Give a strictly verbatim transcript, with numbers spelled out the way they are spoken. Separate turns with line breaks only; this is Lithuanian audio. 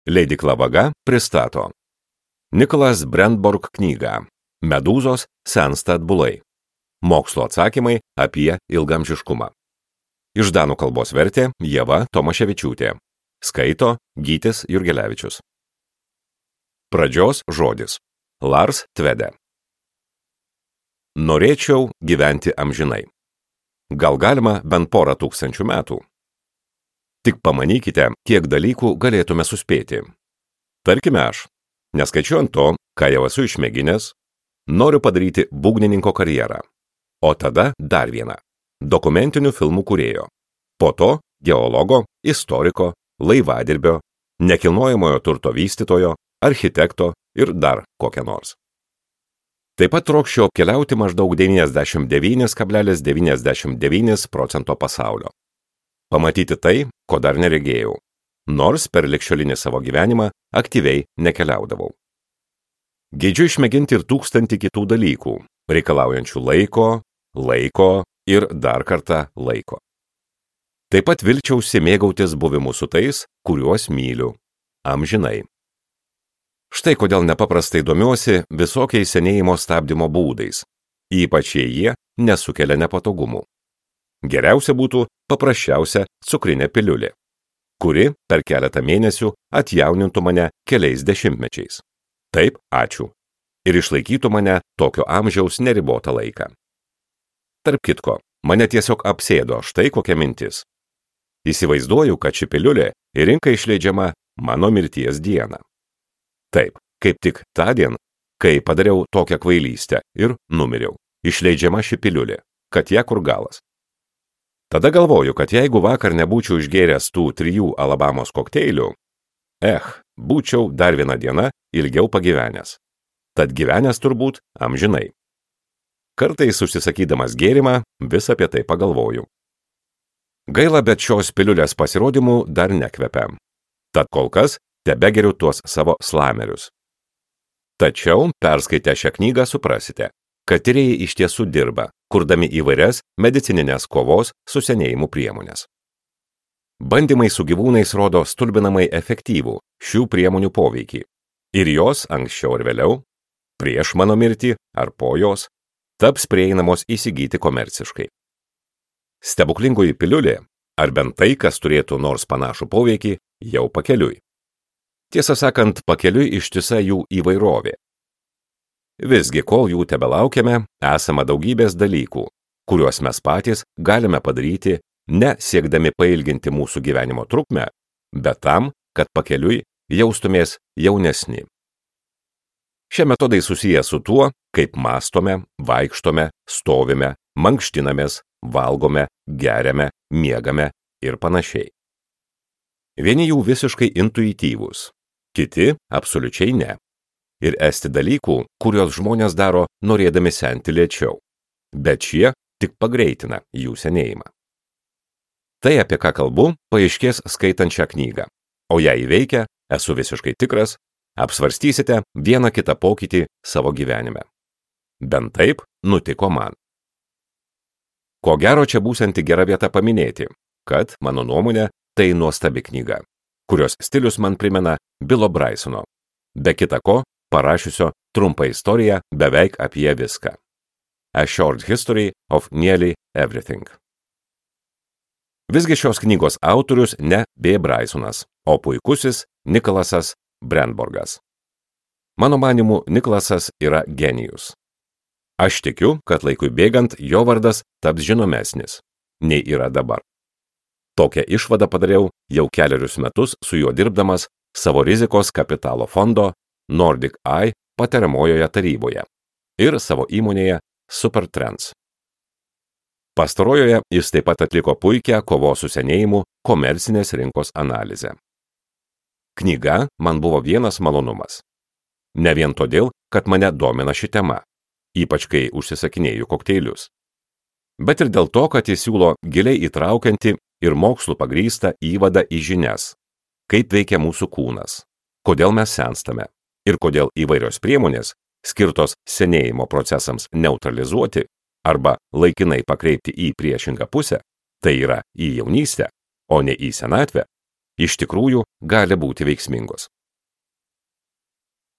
Leidykla Vaga pristato Nicholas Brentborg knygą Medūzos sensta atbulai. Mokslo atsakymai apie ilgamžiškumą. Iš danų kalbos vertė Ieva Tomaševičiūtė. Skaito Gytis Jurgelevičius. Pradžios žodis. Lars Tvede. Norėčiau gyventi amžinai. Gal galima bent porą tūkstančių metų? Tik pamanykite, kiek dalykų galėtume suspėti. Tarkime aš, neskaičiuojant to, ką jau esu išmėginęs, noriu padaryti būgnininko karjerą. O tada dar vieną – dokumentinių filmų kūrėjo. Po to geologo, istoriko, laivadirbio, nekilnojamojo turto vystytojo, architekto ir dar kokią nors. Taip pat trokščiau apkeliauti maždaug devyniasdešimt devyni kablelis devyniasdešimt devyni procento pasaulio. Pamatyti tai, ko dar neregėjau, nors per ligšiolinį savo gyvenimą aktyviai nekeliaudavau. Geidžiu išmėginti ir tūkstantį kitų dalykų, reikalaujančių laiko, laiko ir dar kartą laiko. Taip pat vilčiausi mėgautis buvimu su tais, kuriuos myliu, amžinai. Štai kodėl nepaprastai domiuosi visokiais senėjimo stabdymo būdais, ypač jei jie nesukelia nepatogumų. Geriausia būtų paprasčiausia cukrinė piliulė, kuri per keletą mėnesių atjaunintų mane keliais dešimtmečiais. Taip, ačiū. Ir išlaikytų mane tokio amžiaus neribotą laiką. Tarp kitko, mane tiesiog apsėdo štai kokia mintis. Įsivaizduoju, kad ši piliulė į rinką išleidžiama mano mirties dieną. Taip, kaip tik tą dieną, kai padariau tokią kvailystę ir numiriau, išleidžiama ši piliulė, kad ją kur galas. Tada galvoju, kad jeigu vakar nebūčiau išgėręs tų trijų Alabamos kokteilių, eh, būčiau dar vieną dieną ilgiau pagyvenęs. Tad gyvenęs turbūt amžinai. Kartais užsisakydamas gėrimą vis apie tai pagalvoju. Gaila, bet šios piliulės pasirodymų dar nekvepia. Tad kol kas tebegeriu tuos savo slamerius. Tačiau, perskaitę šią knygą, suprasite, kad tyrėjai iš tiesų dirba, kurdami įvairias medicininės kovos su senėjimu priemonės. Bandymai su gyvūnais rodo stulbinamai efektyvų šių priemonių poveikį. Ir jos anksčiau ar vėliau, prieš mano mirtį ar po jos, taps prieinamos įsigyti komerciškai. Stebuklingoji piliulė, ar bent tai, kas turėtų nors panašų poveikį, jau pakeliui. Tiesą sakant, pakeliui ištisa jų įvairovė. Visgi, kol jų tebelaukiame, esama daugybės dalykų, kuriuos mes patys galime padaryti, ne siekdami pailginti mūsų gyvenimo trukmę, bet tam, kad pakeliui jaustumės jaunesni. Šie metodai susiję su tuo, kaip mąstome, vaikštome, stovime, mankštinamės, valgome, geriame, miegame ir panašiai. Vieni jų visiškai intuityvūs, kiti absoliučiai ne. Ir esti dalykų, kuriuos žmonės daro norėdami senti lėčiau, bet šie tik pagreitina jų senėjimą. Tai, apie ką kalbu, paaiškės skaitant šią knygą, o ją įveikę, esu visiškai tikras, apsvarstysite vieną kitą pokytį savo gyvenime. Bent taip nutiko man. Ko gero čia būsianti gera vieta paminėti, kad, mano nuomonė, tai nuostabi knyga, kurios stilius man primena Bilo Brysono, be kita ko, parašiusio trumpą istoriją beveik apie viską. A Short History of Nearly Everything. Visgi šios knygos autorius ne B. Brysonas, o puikusis Nicholasas Brentborgas. Mano manymu, Nicholasas yra genijus. Aš tikiu, kad laikui bėgant jo vardas taps žinomesnis, nei yra dabar. Tokią išvadą padariau jau kelerius metus su juo dirbdamas savo rizikos kapitalo fondo Nordic Eye patariamojoje taryboje ir savo įmonėje Supertrends. Pastarojoje jis taip pat atliko puikią kovos su senėjimu komercinės rinkos analizę. Knyga man buvo vienas malonumas. Ne vien todėl, kad mane domina ši tema, ypač kai užsisakinėju kokteilius, bet ir dėl to, kad jis siūlo giliai įtraukiantį ir mokslų pagrįstą įvadą į žinias, kaip veikia mūsų kūnas, kodėl mes senstame ir kodėl įvairios priemonės, skirtos senėjimo procesams neutralizuoti arba laikinai pakreipti į priešingą pusę, tai yra į jaunystę, o ne į senatvę, iš tikrųjų gali būti veiksmingos.